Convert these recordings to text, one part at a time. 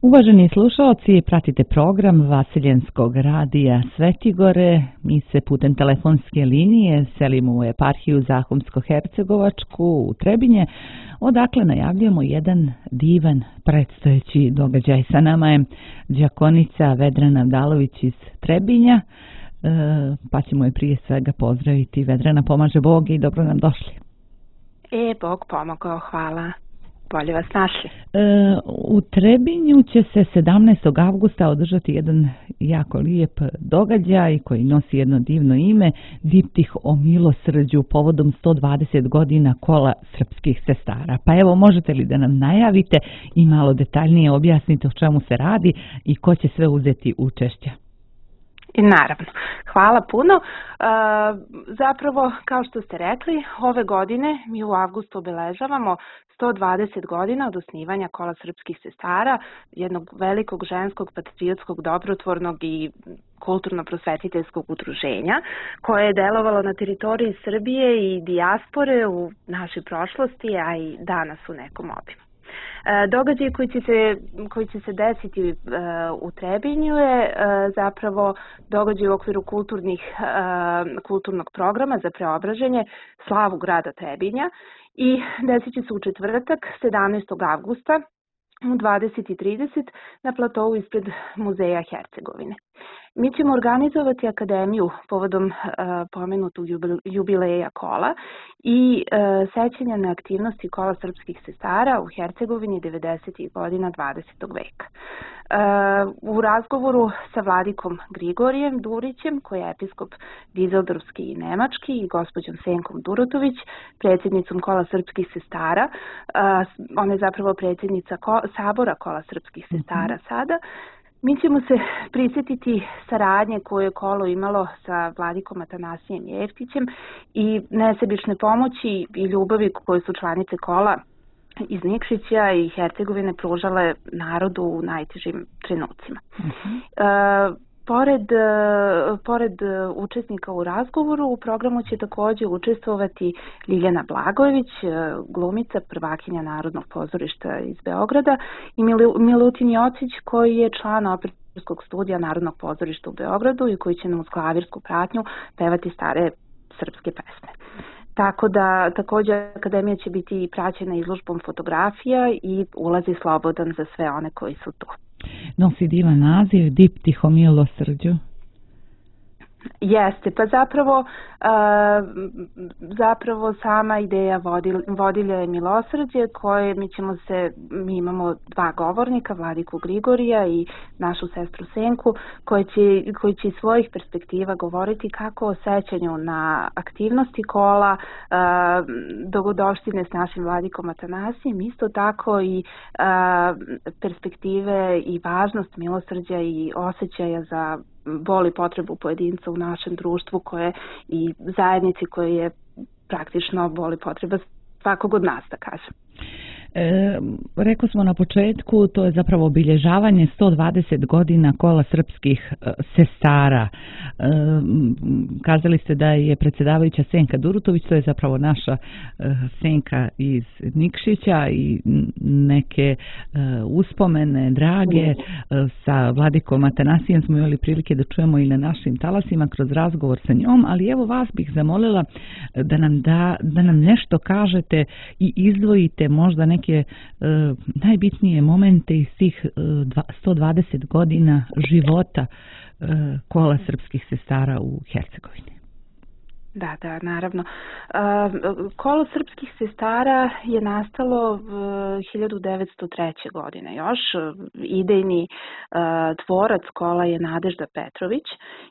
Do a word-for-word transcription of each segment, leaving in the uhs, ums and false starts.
Uvaženi slušalci, pratite program Vasiljenskog radija Svetigore. Mi se putem telefonske linije selimo u eparhiju Zahumsko-Hercegovačku u Trebinje, odakle najavljujemo jedan divan predstojeći događaj. Sa nama je đakonica Vedrana Vdalović iz Trebinja, pa ćemo je prije svega pozdraviti. Vedrana, pomaže Bog i dobro nam došli. E, Bog pomogao, hvala. Bolje vas našli. E, u Trebinju će se sedamnaestog avgusta održati jedan jako lijep događaj koji nosi jedno divno ime, Diptih o milosrđu povodom sto dvadeset godina kola srpskih sestara. Pa evo, možete li da nam najavite i malo detaljnije objasnite o čemu se radi i ko će sve uzeti učešće? I naravno. Hvala puno. E, zapravo, kao što ste rekli, ove godine mi u avgustu obeležavamo sto dvadeset godina od osnivanja kola srpskih sestara, jednog velikog ženskog, patriotskog, dobrotvornog i kulturno-prosvetiteljskog udruženja koje je delovalo na teritoriji Srbije i dijaspore u našoj prošlosti, a i danas u nekom obimu. Događaj koji će se, koji će se desiti uh, u Trebinju je uh, zapravo događaj u okviru kulturnih, uh, kulturnog programa za preobraženje slavu grada Trebinja i desit će se u četvrtak sedamnaestog avgusta u dvadeset i trideset na platovu ispred Muzeja Hercegovine. Mi ćemo organizovati akademiju povodom uh, pomenutog jubileja kola i uh, sećanja na aktivnosti kola srpskih sestara u Hercegovini devedesetih godina dvadesetog veka. Uh, u razgovoru sa vladikom Grigorijem Durićem, koji je episkop Dizeldorfski i Nemački, i gospođom Senkom Durotović, predsjednicom kola srpskih sestara, uh, ona je zapravo predsjednica ko- sabora kola srpskih sestara sada, mi ćemo se prisjetiti saradnje koje je kolo imalo sa vladikom Atanasijem Jeftićem i nesebične pomoći i ljubavi koje su članice kola iz Nikšića i Hercegovine pružale narodu u najtežim trenucima. Uh-huh. E, Pored, pored učesnika u razgovoru, u programu će također učestvovati Ljiljana Blagojević, glumica, prvakinja Narodnog pozorišta iz Beograda, i Milutin Jocić, koji je član operskog studija Narodnog pozorišta u Beogradu i koji će nam uz klavirsku pratnju pevati stare srpske pesme. Tako da također akademija će biti praćena izložbom fotografija i ulazi slobodan za sve one koji su tu. Nosi divan naziv, Diptih o milosrđu. Jeste, pa zapravo, uh, zapravo sama ideja vodil, vodilja je milosrđe, koje mi ćemo se, mi imamo dva govornika, vladiku Grigorija i našu sestru Senku, koji će, koji će iz svojih perspektiva govoriti kako o sećanju na aktivnosti kola, uh, dogodovštine s našim vladikom Atanasijem, isto tako i uh, perspektive i važnost milosrđa i osjećaja za bol i potrebu pojedinca u našem društvu koje i zajednici koje je praktično bol i potreba svakog od nas, da kažem. E, rekli smo na početku, to je zapravo obilježavanje sto dvadeset godina kola srpskih e, sestara. E, kazali ste da je predsjedavajuća Senka Durotović, to je zapravo naša e, Senka iz Nikšića, i neke e, uspomene drage e, sa vladikom Atanasijem smo imali prilike da čujemo i na našim talasima kroz razgovor sa njom, ali evo vas bih zamolila da nam, da, da nam nešto kažete i izdvojite možda neke neke e, najbitnije momente iz tih e, sto dvadeset godina života e, kola srpskih sestara u Hercegovini. Da, da, naravno. Kolo srpskih sestara je nastalo hiljadu devetsto treće. godine još. Idejni tvorac kola je Nadežda Petrović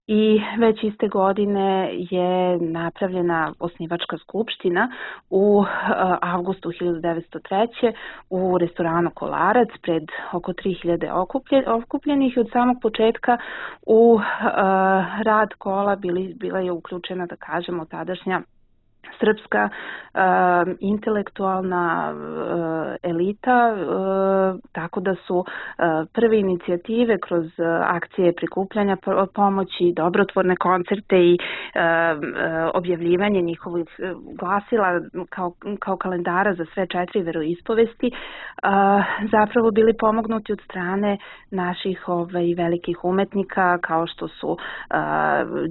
i već iste godine je napravljena osnivačka skupština u avgustu hiljadu devetsto treće. u restoranu Kolarac pred oko tri hiljade okupljenih i od samog početka u rad kola bili, bila je uključena, da kažemo, tadašnja srpska uh, intelektualna uh, elita, uh, tako da su uh, prve inicijative kroz uh, akcije prikupljanja pomoći, dobrotvorne koncerte i uh, uh, objavljivanje njihovih glasila kao, kao kalendara za sve četiri veroispovesti uh, zapravo bili pomognuti od strane naših ovaj, velikih umetnika kao što su uh,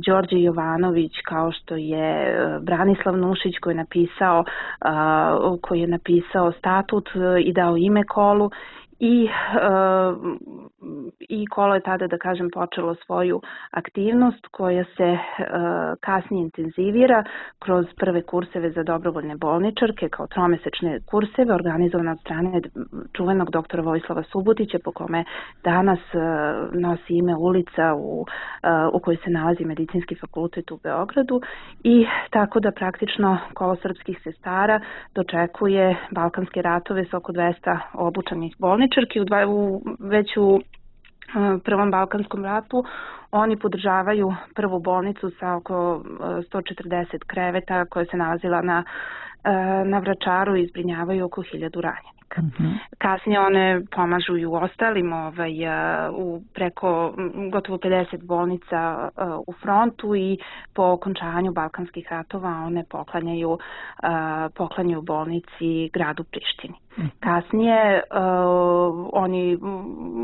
Đorđe Jovanović, kao što je uh, Branislav Nušić koji je napisao uh, koji je napisao statut i dao ime kolu i uh, i kolo je tada, da kažem, počelo svoju aktivnost koja se uh, kasnije intenzivira kroz prve kurseve za dobrovoljne bolničarke kao tromesečne kurseve organizovane od strane čuvenog doktora Vojislava Subotića po kome danas uh, nosi ime ulica u, uh, u kojoj se nalazi Medicinski fakultet u Beogradu i tako da praktično kolo srpskih sestara dočekuje Balkanske ratove sa oko dvesta obučanih bolničarki u, dva, u već u Prvom Balkanskom ratu. Oni podržavaju prvu bolnicu sa oko sto četrdeset kreveta koja se nalazila na, na Vračaru i zbrinjavaju oko hiljadu ranjenika. Mm-hmm. Kasnije one pomažu i u ostalim ovaj, u preko gotovo pedeset bolnica u frontu i po okončanju Balkanskih ratova one poklanjaju, poklanjaju bolnici gradu Prištini. Kasnije uh, oni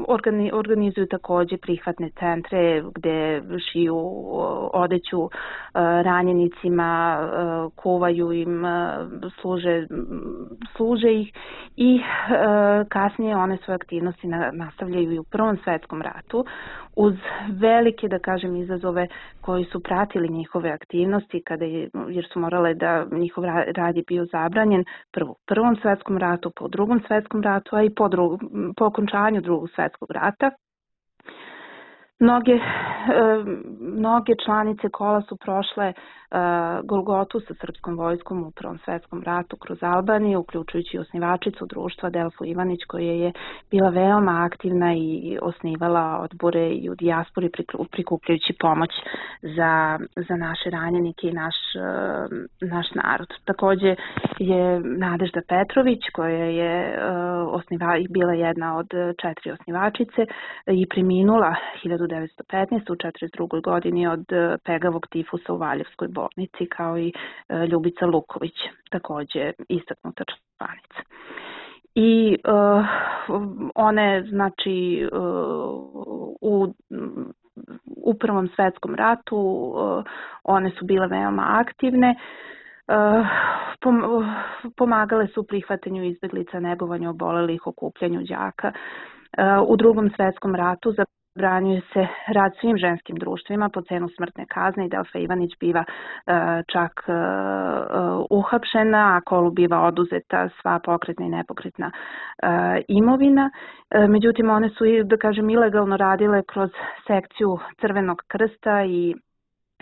organi, organizuju takođe prihvatne centre gde šiju odeću uh, ranjenicima, uh, kuvaju im, uh, služe, služe ih i uh, kasnije one svoje aktivnosti na, nastavljaju i u Prvom svetskom ratu uz velike, da kažem, izazove koji su pratili njihove aktivnosti kada je, jer su morale da njihov rad je bio zabranjen prvo u Prvom svetskom ratu, po Drugom svetskom ratu, a i po, drugom, po okončanju Drugog svetskog rata. Mnoge, e, mnoge članice kola su prošle e, Golgotu sa srpskom vojskom u Prvom svetskom ratu kroz Albaniju, uključujući osnivačicu društva Delfu Ivanić koja je bila veoma aktivna i osnivala odbore i u dijaspori prikupljajući pomoć za, za naše ranjenike i naš, e, naš narod. Takođe je Nadežda Petrović koja je e, osniva, bila jedna od četiri osnivačice i preminula hiljadu devetsto petnaeste. u četrdeset drugoj godini od pegavog tifusa u Valjevskoj bolnici, kao i Ljubica Luković, takođe istaknuta članica. I uh, one, znači, uh, u, u Prvom svetskom ratu uh, one su bile veoma aktivne. Uh, pom pomagale su u prihvatanju izbeglica, negovanju obolelih, okupljanju đaka. Uh, u Drugom svetskom ratu za zabranjuje se rad svim ženskim društvima po cenu smrtne kazne i Delfa Ivanić biva uh, čak uh, uh, uhapšena, a kolu biva oduzeta sva pokretna i nepokretna uh, imovina. Uh, međutim, one su, da kažem, ilegalno radile kroz sekciju Crvenog krsta i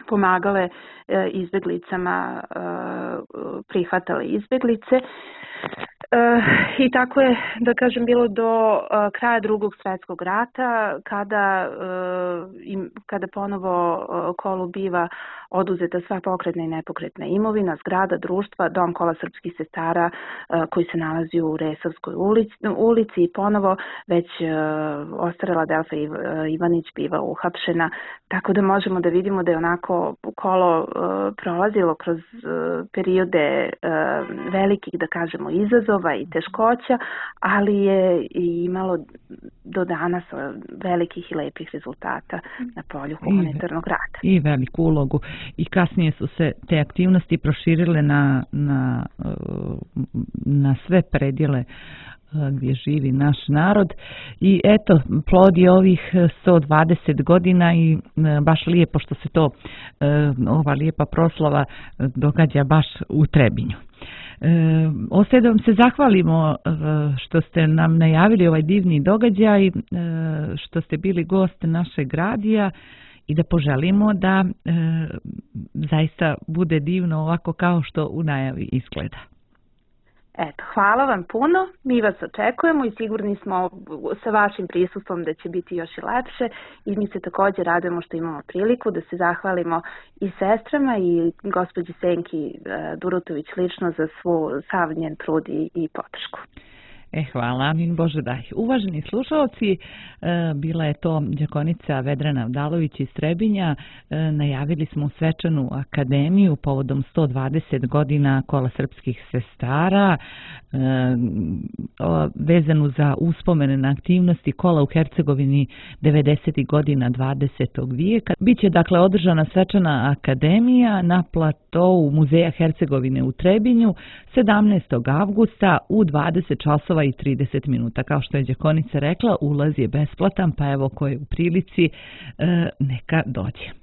pomagale uh, izbeglicama, uh, prihvatale izbeglice. Uh, I tako je, da kažem, bilo do uh, kraja Drugog svetskog rata, kada, uh, im, kada ponovo uh, kolu biva oduzeta sva pokretna i nepokretna imovina, zgrada društva, dom kola srpskih sestara uh, koji se nalazi u Resavskoj ulici, ulici i ponovo već uh, ostarela Delfa Iv, uh, Ivanić biva uhapšena, tako da možemo da vidimo da je onako kolo uh, prolazilo kroz uh, periode uh, velikih, da kažemo, izazova i teškoća, ali je i imalo do danas velikih i lepih rezultata na polju humanitarnog rada. I veliku ulogu. I kasnije su se te aktivnosti proširile na, na, na sve predjele gdje živi naš narod i eto, plodi ovih sto dvadeset godina i baš lijepo što se to, ova lijepa proslava događa baš u Trebinju. E, ostaje da vam se zahvalimo e, što ste nam najavili ovaj divni događaj, e, što ste bili gost našeg radija i da poželimo da e, zaista bude divno ovako kao što u najavi izgleda. Eto, hvala vam puno, mi vas očekujemo i sigurni smo sa vašim prisustvom da će biti još i lepše i mi se također radujemo što imamo priliku da se zahvalimo i sestrama i gospođi Senki Durutović lično za svu sav njen trud i, i podršku. E, hvala, min Bože daj. Uvaženi slušalci, e, bila je to đakonica Vedrana Vdalović iz Trebinja. E, najavili smo svečanu akademiju povodom sto dvadeset godina Kola srpskih sestara, e, o, vezanu za uspomene na aktivnosti Kola u Hercegovini devedesetih godina dvadesetog vijeka. Biće dakle održana svečana akademija na platovu Muzeja Hercegovine u Trebinju sedamnaestog avgusta u dvadeset časova i trideset minuta. Kao što je đakonica rekla, ulaz je besplatan, pa evo ko je u prilici, e, neka dođe.